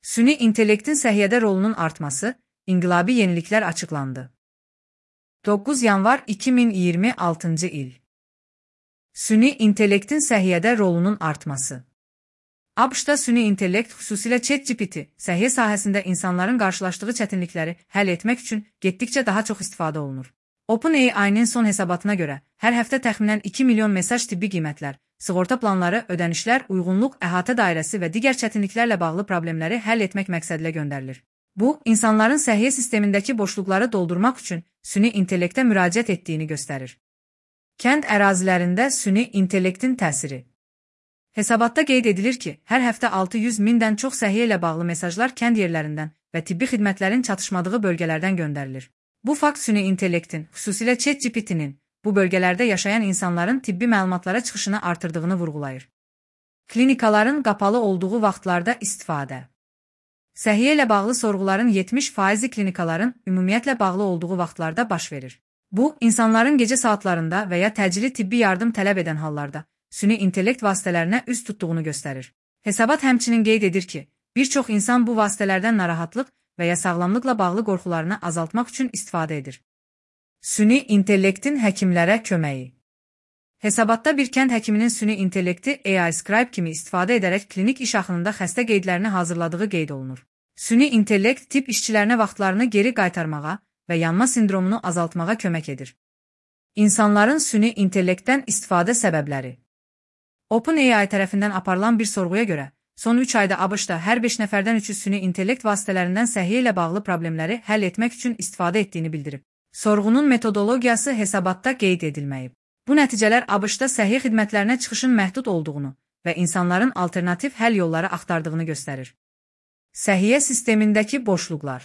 Süni intellektin səhiyyədə rolunun artması, inqilabi yeniliklər açıqlandı. 9 yanvar 2026 il. Süni intellektin səhiyyədə rolunun artması. ABŞ-da süni intellekt, xüsusilə ChatGPT, səhiyyə sahəsində insanların qarşılaşdığı çətinlikləri həll etmək üçün getdikcə daha çox istifadə olunur. OpenAI-nin son hesabatına görə, hər həftə təxminən 2 milyon mesaj tibbi qiymətlər, sığorta planları, ödənişlər, uyğunluq, əhatə dairəsi və digər çətinliklərlə bağlı problemləri həll etmək məqsədilə göndərilir. Bu, insanların səhiyyə sistemindəki boşluqları doldurmaq üçün süni intellektə müraciət etdiyini göstərir. Kənd ərazilərində süni intellektin təsiri. Hesabatda qeyd edilir ki, hər həftə 600 mindən çox səhiyyə ilə bağlı mesajlar kənd yerlərindən və tibbi xidmətlərin çatışmadığı bölgələrdən göndərilir. Bu fakt süni intellektin, xüsusilə ChatGPT-nin, bu bölgələrdə yaşayan insanların tibbi məlumatlara çıxışını artırdığını vurğulayır. Klinikaların qapalı olduğu vaxtlarda istifadə. Səhiyyə ilə bağlı sorğuların 70% klinikaların ümumiyyətlə bağlı olduğu vaxtlarda baş verir. Bu, insanların gecə saatlarında və ya təcili tibbi yardım tələb edən hallarda süni intellekt vasitələrinə üst tutduğunu göstərir. Hesabat həmçinin qeyd edir ki, bir çox insan bu vasitələrdən narahatlıq və ya sağlamlıqla bağlı qorxularını azaltmaq üçün istifadə edir. Süni intellektin həkimlərə köməyi. Hesabatda bir kənd həkiminin süni intellekti AI Scribe kimi istifadə edərək klinik iş axınında xəstə qeydlərini hazırladığı qeyd olunur. Süni intellekt tibb işçilərinə vaxtlarını geri qaytarmağa və yanma sindromunu azaltmağa kömək edir. İnsanların süni intellektdən istifadə səbəbləri. OpenAI tərəfindən aparılan bir sorğuya görə, son 3 ayda ABŞ-da hər 5 nəfərdən 3-ü süni intellekt vasitələrindən səhiyyə ilə bağlı problemləri həll etmək üçün istifadə etdiyini bildirib. Sorğunun metodologiyası hesabatda qeyd edilməyib. Bu nəticələr ABŞ-da səhiyyə xidmətlərinə çıxışın məhdud olduğunu və insanların alternativ həll yolları axtardığını göstərir. Səhiyyə sistemindəki boşluqlar.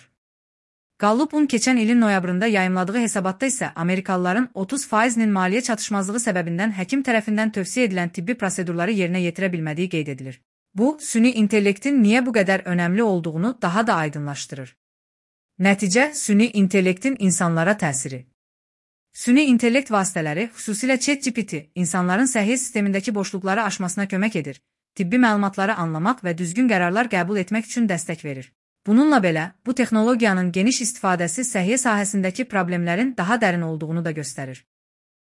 Gallup'un keçən ilin noyabrında yayımladığı hesabatda isə Amerikalıların 30%-nin maliyyə çatışmazlığı səbəbindən həkim tərəfindən tövsiyə edilən tibbi prosedurları yerinə yetirə bilmədiyi qeyd edilir. Bu, süni intellektin niyə bu qədər önəmli olduğunu daha da aydınlaşdırır. Nəticə, süni intellektin insanlara təsiri. Süni intellekt vasitələri, xüsusilə ChatGPT, insanların səhiyyə sistemindəki boşluqları aşmasına kömək edir, tibbi məlumatları anlamaq və düzgün qərarlar qəbul etmək üçün dəstək verir. Bununla belə, bu texnologiyanın geniş istifadəsi səhiyyə sahəsindəki problemlərin daha dərin olduğunu da göstərir.